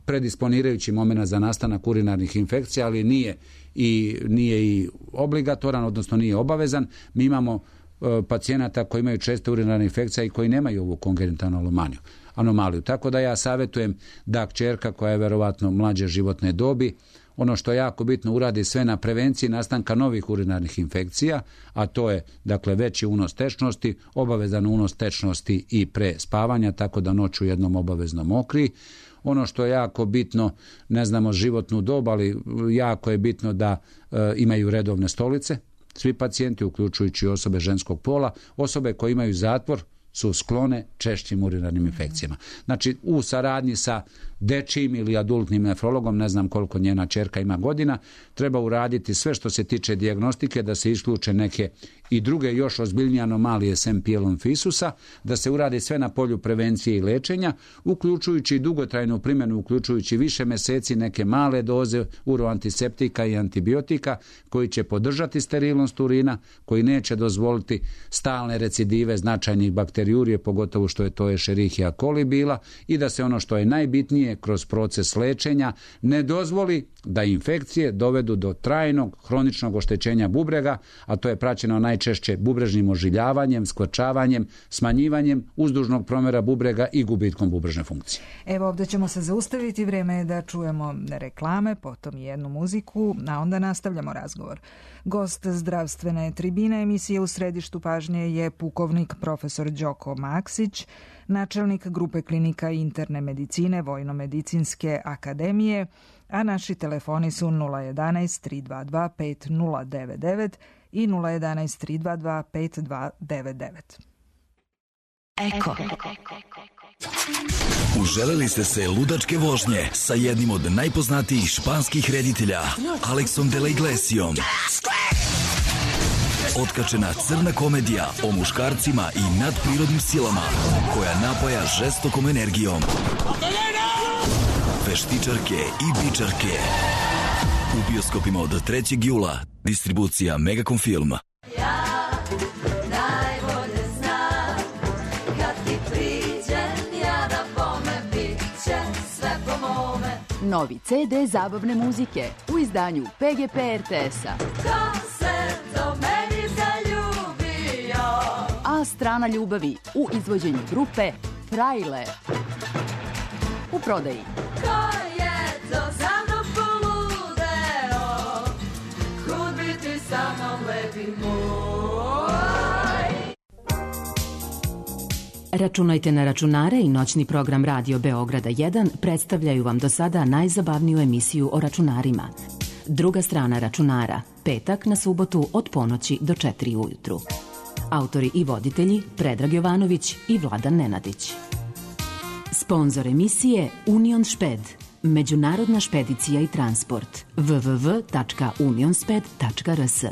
predisponirajući moment za nastanak urinarnih infekcija, ali nije i obligatoran, odnosno nije obavezan. Mi imamo pacijenata koji imaju česte urinarne infekcije i koji nemaju ovu kongenitalnu anomaliju. Tako da ja savjetujem da kćerka koja je verovatno mlađe životne dobi, ono što je jako bitno, uradi sve na prevenciji nastanka novih urinarnih infekcija, a to je dakle veći unos tečnosti, obavezan unos tečnosti i pre spavanja, tako da noću jednom obavezno mokri. Ono što je jako bitno, ne znamo životnu dob, ali jako je bitno da imaju redovne stolice. Svi pacijenti, uključujući osobe ženskog pola, osobe koje imaju zatvor, su sklone češćim urinarnim infekcijama. Znači, u saradnji sa dečijim ili adultnim nefrologom, ne znam koliko njena ćerka ima godina, treba uraditi sve što se tiče dijagnostike, da se isključe neke i druge još ozbiljnije anomalije sem pielonfisusa, da se uradi sve na polju prevencije i lečenja, uključujući dugotrajnu primjenu, uključujući više mjeseci neke male doze uroantiseptika i antibiotika koji će podržati sterilnost urina, koji neće dozvoliti stalne recidive značajnih bakteriurije, pogotovo što je to Escherichia coli bila, i da se ono što je najbitnije kroz proces lečenja ne dozvoli da infekcije dovedu do trajnog hroničnog oštećenja bubrega, a to je praćeno najčešće bubrežnim ožiljavanjem, skvrčavanjem, smanjivanjem uzdužnog promjera bubrega i gubitkom bubrežne funkcije. Evo, ovdje ćemo se zaustaviti, vrijeme je da čujemo reklame, potom jednu muziku, a onda nastavljamo razgovor. Gost zdravstvene tribine emisije U središtu pažnje je pukovnik profesor Đoko Maksić, načelnik grupe klinika interne medicine Vojno-medicinske akademije, a naši telefoni su 011 322 5099 i 011 322 5299. Eko. Uželeli ste se ludačke vožnje sa jednim od najpoznatijih španskih reditelja, Alexom de la Iglesiom. Otkačena crna komedija o muškarcima i nadprirodnim silama koja napaja žestokom energijom. Veštičarke i bičarke. U bioskopima od 3. jula. Distribucija Megacom Film. Ja najbolje znam, kad ti priđem, ja da bome bit će sve po mome. Novi CD zabavne muzike u izdanju PGP RTS-a. Ko se do meni zaljubio? A strana ljubavi u izvođenju grupe Frajle. U prodaji. Ko je to za mnom poludeo? Kud biti sa mnom lepi moj? Računajte na računare i noćni program Radio Beograda 1 predstavljaju vam do sada najzabavniju emisiju o računarima. Druga strana računara, petak na subotu od ponoći do 4 ujutru. Autori i voditelji Predrag Jovanović i Vladan Nenadić. Sponzor emisije Union Šped, međunarodna špedicija i transport, www.unionsped.rs.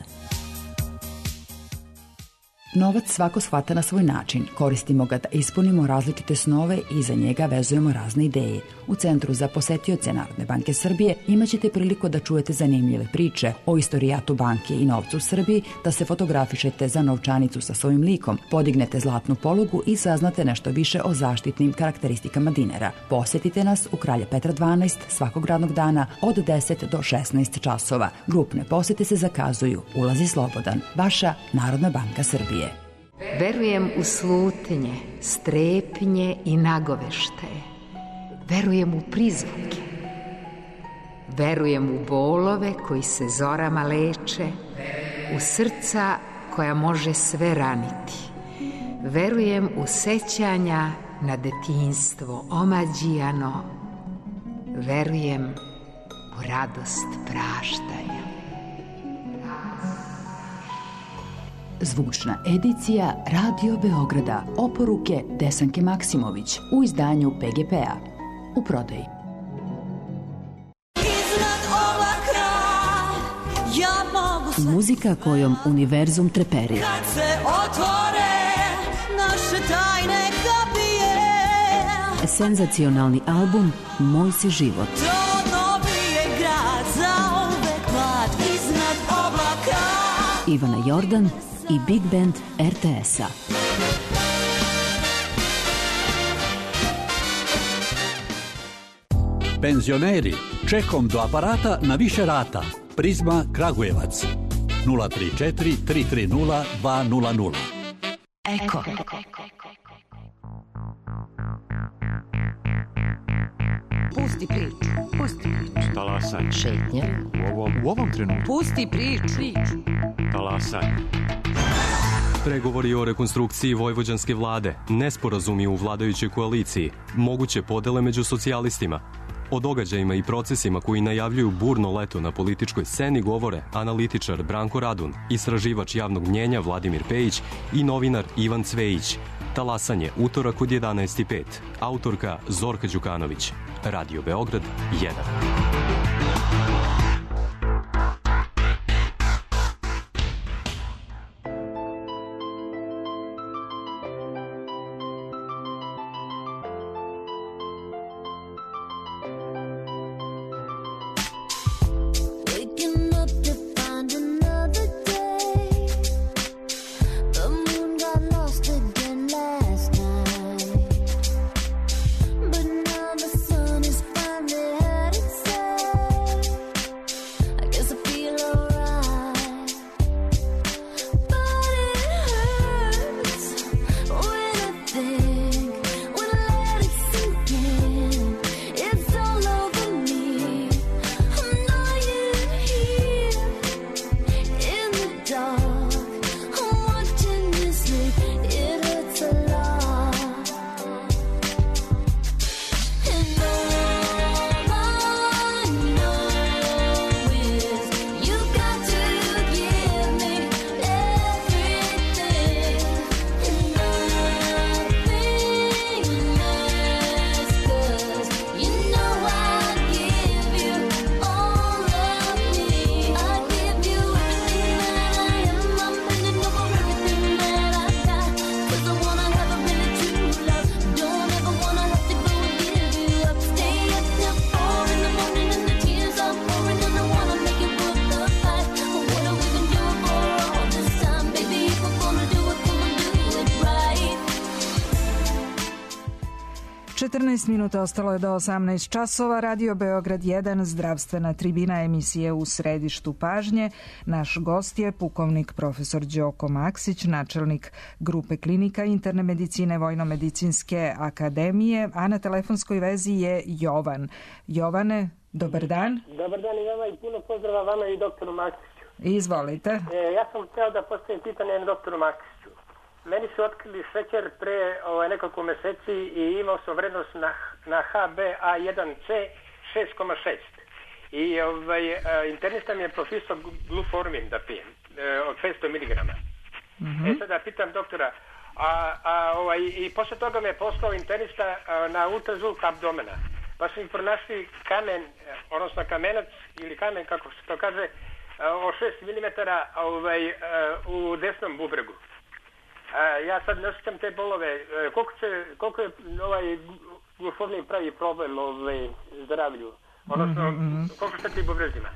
Novac svako shvata na svoj način. Koristimo ga da ispunimo različite snove i za njega vezujemo razne ideje. U Centru za posetioce Narodne banke Srbije imaćete priliku da čujete zanimljive priče o istorijatu banke i novcu u Srbiji, da se fotografišete za novčanicu sa svojim likom, podignete zlatnu polugu i saznate nešto više o zaštitnim karakteristikama dinara. Posetite nas u Kralja Petra 12 svakog radnog dana od 10 do 16 časova. Grupne posete se zakazuju. Ulaz je slobodan. Vaša Narodna banka Srbije. Verujem u slutnje, strepnje i nagoveštaje. Verujem u prizvuke. Verujem u bolove koji se zorama leče, u srca koja može sve raniti. Verujem u sećanja na detinjstvo omađijano. Verujem u radost praštanja. Zvučna edicija Radio Beograda. Oporuke Desanke Maksimović u izdanju PGP-a. U prodaji. Muzika kojom univerzum treperi. Kad se otvore naše tajne kapije. Senzacionalni album Moj si život. To novi je grad za uvek mlad iznad oblaka. Ivana Jordan i Big Band RTS-a. Penzioneri, čekom do aparata na više rata. Prizma Kragujevac 034 330 200. Eko. Pusti priču. Pusti priču. Talasaj. Šetnje. U ovom trenutku. Pusti priču. Talasaj. Pregovori o rekonstrukciji vojvođanske vlade, nesporazumi u vladajućoj koaliciji, moguće podele među socijalistima. O događajima i procesima koji najavljuju burno leto na političkoj sceni govore analitičar Branko Radun, istraživač javnog mnjenja Vladimir Pejić i novinar Ivan Cvejić. Talasanje, utorak od 11:05. Autorka Zorka Đukanović. Radio Beograd 1. Minuta ostalo je do 18 časova. Radio Beograd 1, zdravstvena tribina emisije U središtu pažnje. Naš gost je pukovnik profesor Đoko Maksić, načelnik grupe klinika interne medicine Vojno-medicinske akademije, a na telefonskoj vezi je Jovan. Jovane, dobar dan. Dobar dan i vama i puno pozdrava vama i doktoru Maksiću. Izvolite. Ja sam htio da postavim pitanje doktoru Maksiću. Meni su otkrili šećer pre nekoliko meseci i imao sam vrednost na HbA1c 6,6. I internista mi je propisao gluformin da pijem od 500 mg. Sada pitam doktora, i posle toga me je poslao internista na ultrazvuk abdomena. Pa su mi pronašli kamen, odnosno kamenac ili kamen, kako se to kaže, od 6 mm u desnom bubregu. Ja sad ne osjećam te bolove. Koliko je gluformin pravi problem zdravlju? Odnosno, koliko šta ti bubrezima?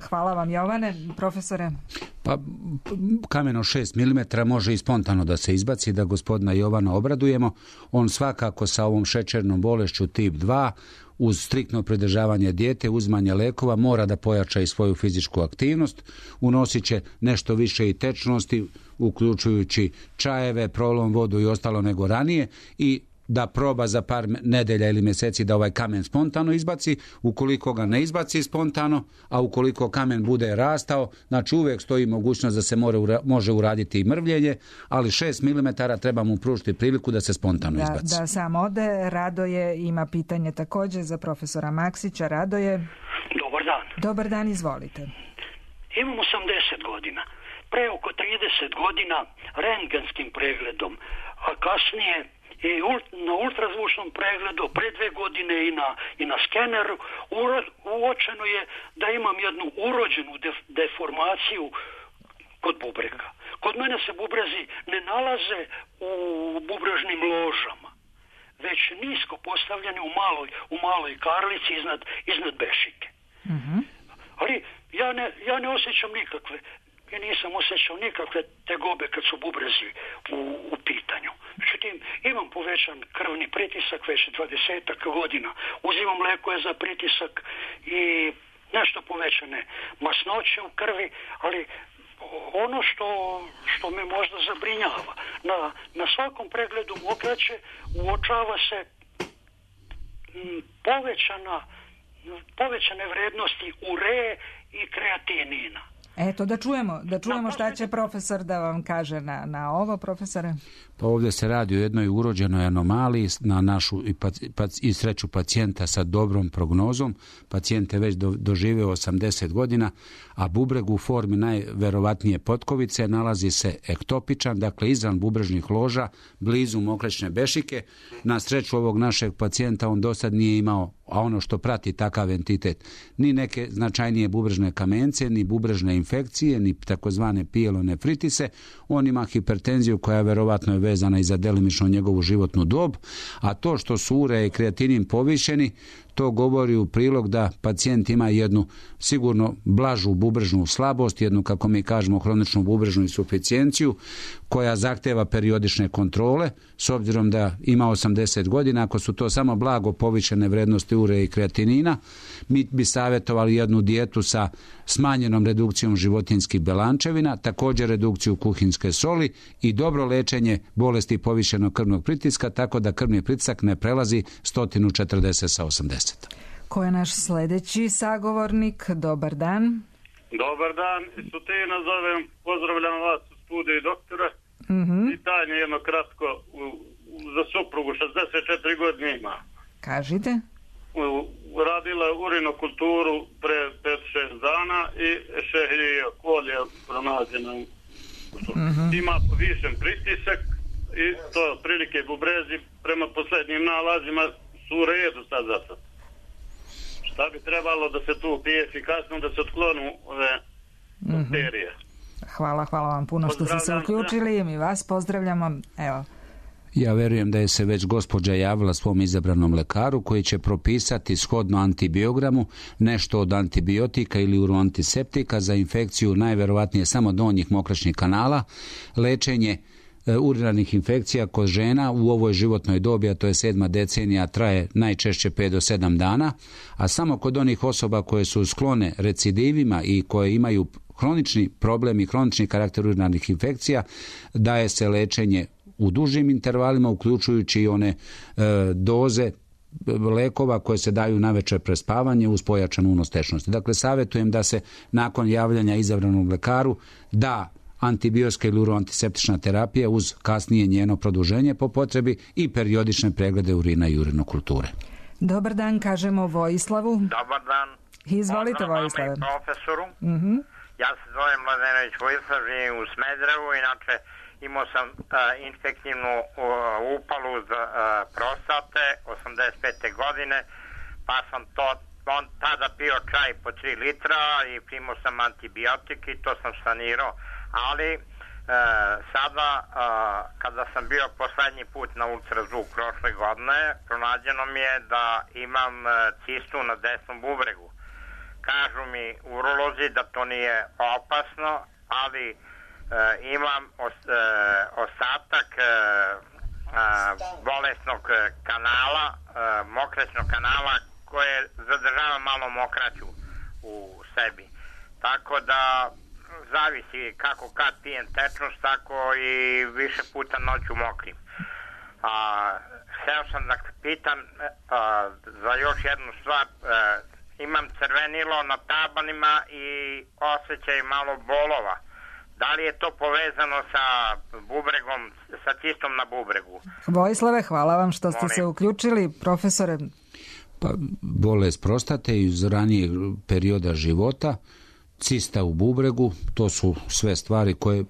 Hvala vam, Jovane. Profesore? Pa, kamen od 6 mm može i spontano da se izbaci, da gospodina Jovana obradujemo. On svakako sa ovom šećernom bolešću tip 2 uz striktno pridržavanje dijete, uzimanje lekova, mora da pojača i svoju fizičku aktivnost, unosit će nešto više i tečnosti, uključujući čajeve, prolom, vodu i ostalo nego ranije, i da proba za par nedelja ili mjeseci da ovaj kamen spontano izbaci. Ukoliko ga ne izbaci spontano, a ukoliko kamen bude rastao, znači uvijek stoji mogućnost da se može uraditi i mrvljenje, ali 6 mm treba mu pružiti priliku da se spontano izbaci. Da sam ode. Radoje ima pitanje također za profesora Maksića. Radoje. Dobar dan. Dobar dan, izvolite. Imam 80 godina. Pre oko 30 godina rentgenskim pregledom, a kasnije i na ultrazvučnom pregledu pre 2 godine i na skeneru uočeno je da imam jednu urođenu deformaciju kod bubrega. Kod mene se bubrezi ne nalaze u bubrežnim ložama, već nisko postavljeni u maloj karlici iznad bešike. Ali ja ne osjećam nikakve, i nisam osjećao nikakve tegobe kad su bubrezi u pitanju. Međutim, imam povećan krvni pritisak već 20 godina. Uzimam lekove za pritisak i nešto povećane masnoće u krvi, ali ono što me možda zabrinjava, na svakom pregledu mokraće uočava se povećane vrednosti ureje i kreatinina. Eto, da čujemo šta će profesor da vam kaže na ovo, profesore. Pa ovdje se radi o jednoj urođenoj anomaliji na našu i sreću pacijenta sa dobrom prognozom. Pacijent je već doživio 80 godina, a bubreg u formi najverovatnije potkovice nalazi se ektopičan, dakle izvan bubrežnih loža, blizu mokrečne bešike. Na sreću ovog našeg pacijenta on do sad nije imao, a ono što prati takav entitet, ni neke značajnije bubrežne kamence, ni bubrežne infekcije, ni takozvane pielonefritise. On ima hipertenziju koja verovatno je vezana i za delimično njegovu životnu dob, a to što su urea i kreatinin povišeni, to govori u prilog da pacijent ima jednu sigurno blažu bubrežnu slabost, jednu, kako mi kažemo, hroničnu bubrežnu insuficijenciju koja zahteva periodične kontrole. S obzirom da ima 80 godina, ako su to samo blago povišene vrednosti urea i kreatinina, mi bi savjetovali jednu dijetu sa smanjenom redukcijom životinjskih belančevina, također redukciju kuhinjske soli i dobro lečenje bolesti povišenog krvnog pritiska, tako da krvni pritisak ne prelazi 140 sa 80. Ko je naš sljedeći sagovornik? Dobar dan. Dobar dan, Sutina zovem, pozdravljam vas u studiju doktora. Pitanje jedno kratko, za suprugu 64 godine ima. Kažite. Radila urinokulturu pre 5-6 dana i šehrije kolje pronađeno. Ima povišen pritisak i to otprilike bubrezi prema posljednjim nalazima su u redu sad za sad. Šta bi trebalo da se tu pije efikasno, da se otklonu ove bakterije? Hvala vam puno što ste se uključili i mi vas pozdravljamo. Evo. Ja verujem da je se već gospođa javila svom izabranom lekaru koji će propisati shodno antibiogramu nešto od antibiotika ili uroantiseptika za infekciju najverovatnije samo donjih mokraćnih kanala, lečenje urinarnih infekcija kod žena u ovoj životnoj dobi, a to je 7. decenija, traje najčešće 5 do 7 dana, a samo kod onih osoba koje su sklone recidivima i koje imaju hronični problem i hronični karakter urinarnih infekcija, daje se lečenje u dužim intervalima, uključujući i one doze lekova koje se daju navečer pre spavanje uz pojačanu unos tečnosti. Dakle, savjetujem da se nakon javljanja izabranom lekaru da antibiotska ili uroantiseptična terapija uz kasnije njeno produženje po potrebi i periodične preglede urina i urinokulture. Dobar dan, kažemo Vojislavu. Dobar dan. Izvolite, Vojislave. Profesoru. Ja se zovem Mladenović Vojislav, živim u Smederevu, inače imao sam infektivnu upalu prostate 85. godine, pa sam tada pio čaj po 3 litra i primao sam antibiotik i to sam sanirao, ali sada kada sam bio poslednji put na ultrazvuk prošle godine, pronađeno mi je da imam cistu na desnom bubregu. Kažu mi urolozi da to nije opasno, ali imam ostatak bolesnog kanala, mokraćnog kanala koje zadržava malo mokraću u sebi. Tako da zavisi kako kad pijem tečnost, tako i više puta noću mokrim. Hteo sam da pitam za još jednu stvar. Imam crvenilo na tabanima i osjećaj malo bolova. Da li je to povezano sa bubregom, sa cistom na bubregu? Vojislave, hvala vam što ste se uključili. Profesore? Pa, bolest prostate iz ranijeg perioda života, cista u bubregu, to su sve stvari koje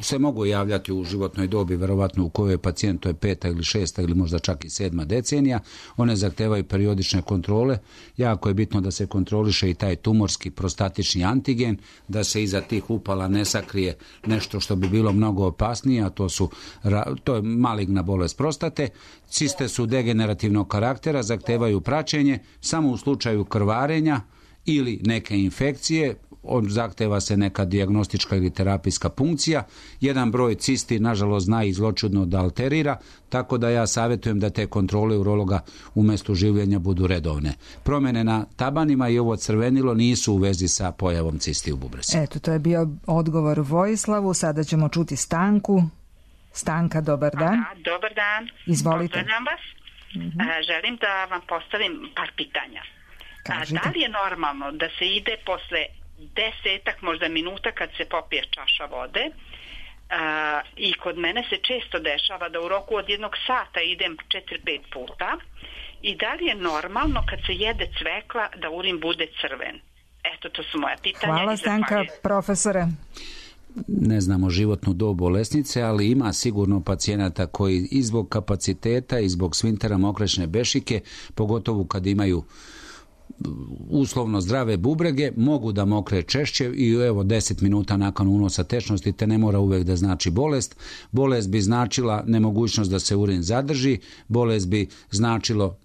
se mogu javljati u životnoj dobi, verovatno u kojoj je pacijent, to je 5. ili 6. ili možda čak i 7. decenija. One zahtevaju periodične kontrole. Jako je bitno da se kontroliše i taj tumorski prostatični antigen, da se iza tih upala ne sakrije nešto što bi bilo mnogo opasnije, a to je maligna bolest prostate. Ciste su degenerativnog karaktera, zahtevaju praćenje samo u slučaju krvarenja ili neke infekcije, zahteva se neka dijagnostička ili terapijska punkcija. Jedan broj cisti, nažalost, zna i zločudno da alterira, tako da ja savjetujem da te kontrole urologa u mjestu življenja budu redovne. Promjene na tabanima i ovo crvenilo nisu u vezi sa pojavom cisti u bubrezi. Eto, to je bio odgovor Vojislavu. Sada ćemo čuti Stanku. Stanka, dobar dan. Dobar dan. Izvolite. Pozdravljam vas. Želim da vam postavim par pitanja. Kažite. Da li je normalno da se ide posle 10 možda minuta kad se popije čaša vode. I kod mene se često dešava da u roku od 1 sata idem 4-5 puta. I da li je normalno kad se jede cvekla da urin bude crven? Eto, to su moja pitanja. Hvala, Stanka. Profesore? Ne znamo životnu dob bolesnice, ali ima sigurno pacijenata koji i zbog kapaciteta i zbog svintera mokrečne bešike, pogotovo kad imaju uslovno zdrave bubrege, mogu da mokre češće i evo 10 minuta nakon unosa tečnosti, te ne mora uvek da znači bolest. Bolest bi značila nemogućnost da se urin zadrži, bolest bi značilo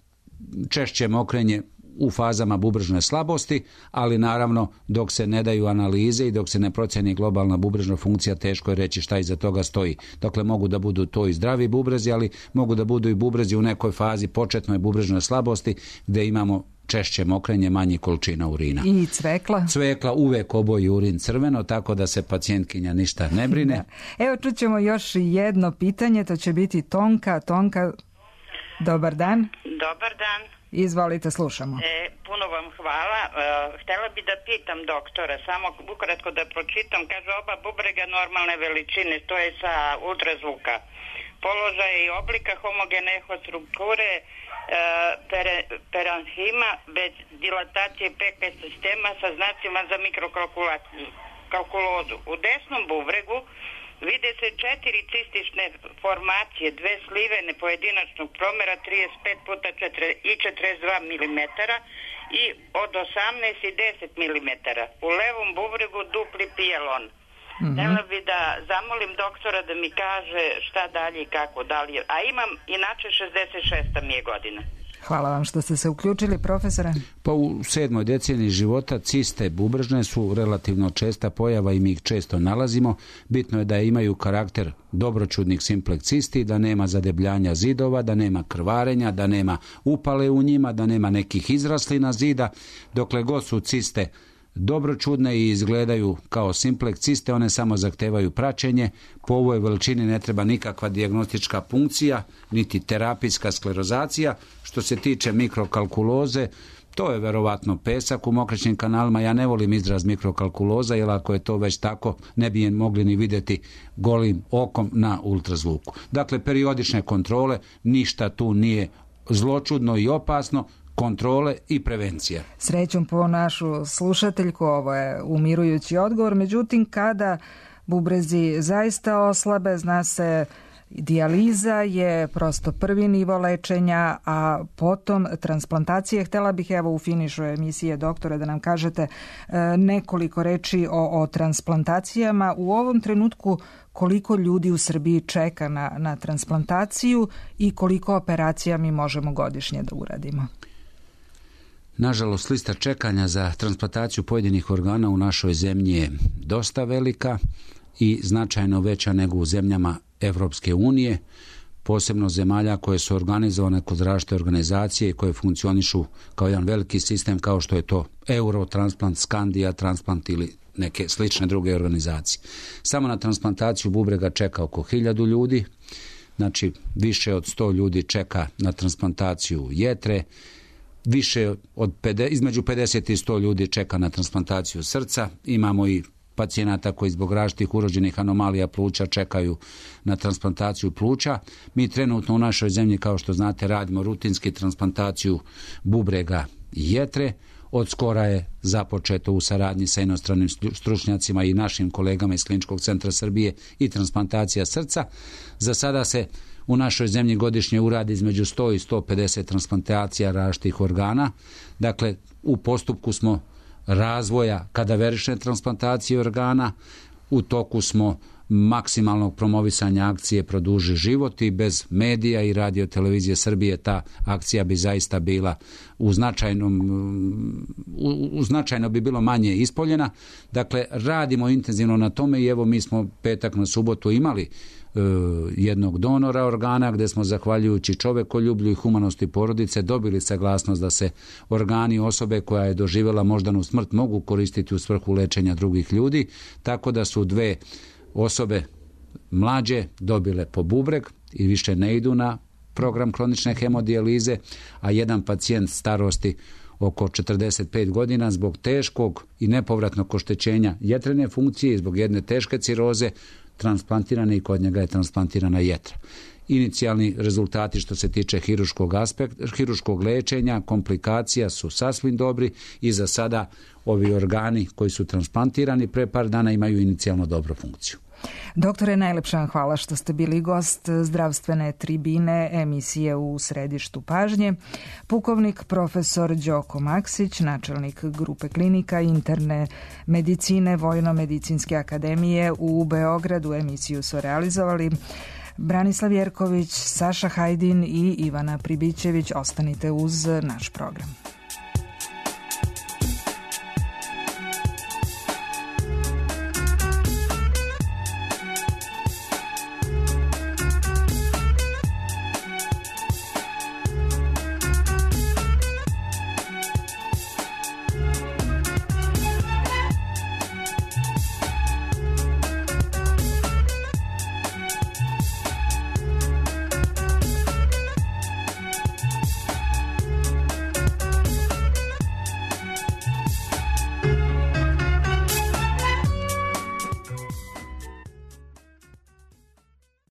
češće mokrenje u fazama bubrežne slabosti, ali naravno dok se ne daju analize i dok se ne procjeni globalna bubrežna funkcija, teško je reći šta iza toga stoji. Dakle, mogu da budu to i zdravi bubrezi, ali mogu da budu i bubrezi u nekoj fazi početnoj bubrežne slabosti gdje imamo češće mokrenje, manji količina urina. I cvekla? Cvekla uvek oboji urin crveno, tako da se pacijentkinja ništa ne brine. Evo, čućemo još jedno pitanje, to će biti Tonka. Tonka, dobar dan. Dobar dan. Izvolite, slušamo. Puno vam hvala. Htjela bi da pitam doktora, samo ukratko da pročitam. Kaže, oba bubrega normalne veličine, to je sa ultrazvuka. Položaja i oblika homogene strukture peranhima bez dilatacije PK sistema sa znacima za mikrokalkulozu. U desnom bubregu vide se 4 cistične formacije, 2 slivene pojedinačnog promjera 35 puta 42 mm i od 18 i 10 mm. U levom bubregu dupli pijelon. Htjela bi da zamolim doktora da mi kaže šta dalje i kako dalje. A imam inače 66 mi je godina. Hvala vam što ste se uključili, profesore. Pa u 7. deceniji života ciste bubrežne su relativno česta pojava i mi ih često nalazimo. Bitno je da imaju karakter dobročudnih simpleks cisti, da nema zadebljanja zidova, da nema krvarenja, da nema upale u njima, da nema nekih izraslina zida. Dokle god su ciste dobročudne i izgledaju kao simpleks ciste, one samo zahtevaju praćenje. Po ovoj veličini ne treba nikakva dijagnostička punkcija, niti terapijska sklerozacija. Što se tiče mikrokalkuloze, to je verovatno pesak u mokrečnim kanalima. Ja ne volim izraz mikrokalkuloza, jer ako je to već tako, ne bi je mogli ni vidjeti golim okom na ultrazvuku. Dakle, periodične kontrole, ništa tu nije zločudno i opasno, kontrole i prevencija. Srećom po našu slušateljku, ovo je umirujući odgovor, međutim kada bubrezi zaista oslabe, zna se, dijaliza je prosto prvi nivo lečenja, a potom transplantacije. Htjela bih evo u finišu emisije, doktore, da nam kažete nekoliko reči o transplantacijama. U ovom trenutku koliko ljudi u Srbiji čeka na transplantaciju i koliko operacija mi možemo godišnje da uradimo? Nažalost, lista čekanja za transplantaciju pojedinih organa u našoj zemlji je dosta velika i značajno veća nego u zemljama Evropske unije, posebno zemalja koje su organizovane kod različite organizacije i koje funkcionišu kao jedan veliki sistem kao što je to Eurotransplant, Skandija Transplant ili neke slične druge organizacije. Samo na transplantaciju bubrega čeka oko 1000 ljudi, znači više od 100 ljudi čeka na transplantaciju jetre, između 50 i 100 ljudi čeka na transplantaciju srca. Imamo i pacijenata koji zbog različitih urođenih anomalija pluća čekaju na transplantaciju pluća. Mi trenutno u našoj zemlji, kao što znate, radimo rutinski transplantaciju bubrega i jetre. Od skora je započeto u saradnji sa inostranim stručnjacima i našim kolegama iz Kliničkog centra Srbije i transplantacija srca. Za sada se u našoj zemlji godišnje uradi između 100 i 150 transplantacija različitih organa. Dakle, u postupku smo razvoja kadaverične transplantacije organa, u toku smo maksimalnog promovisanja akcije Produži život i bez medija i radio televizije Srbije ta akcija bi zaista bila značajno bi bilo manje ispoljena. Dakle, radimo intenzivno na tome i evo mi smo petak na subotu imali jednog donora organa gdje smo zahvaljujući čovekoljublju i humanosti porodice dobili saglasnost da se organi osobe koja je doživjela moždanu smrt mogu koristiti u svrhu lečenja drugih ljudi, tako da su 2 osobe mlađe dobile po bubreg i više ne idu na program kronične hemodijalize, a jedan pacijent starosti oko 45 godina zbog teškog i nepovratnog oštećenja jetrene funkcije i zbog jedne teške ciroze transplantirane i kod njega je transplantirana jetra. Inicijalni rezultati što se tiče hiruškog lečenja, komplikacija su sasvim dobri i za sada ovi organi koji su transplantirani pre par dana imaju inicijalno dobru funkciju. Doktore, najlepša vam hvala što ste bili gost zdravstvene tribine emisije U središtu pažnje. Pukovnik profesor Đoko Maksić, načelnik grupe klinika interne medicine Vojno-medicinske akademije u Beogradu. Emisiju su realizovali Branislav Jerković, Saša Hajdin i Ivana Pribićević. Ostanite uz naš program.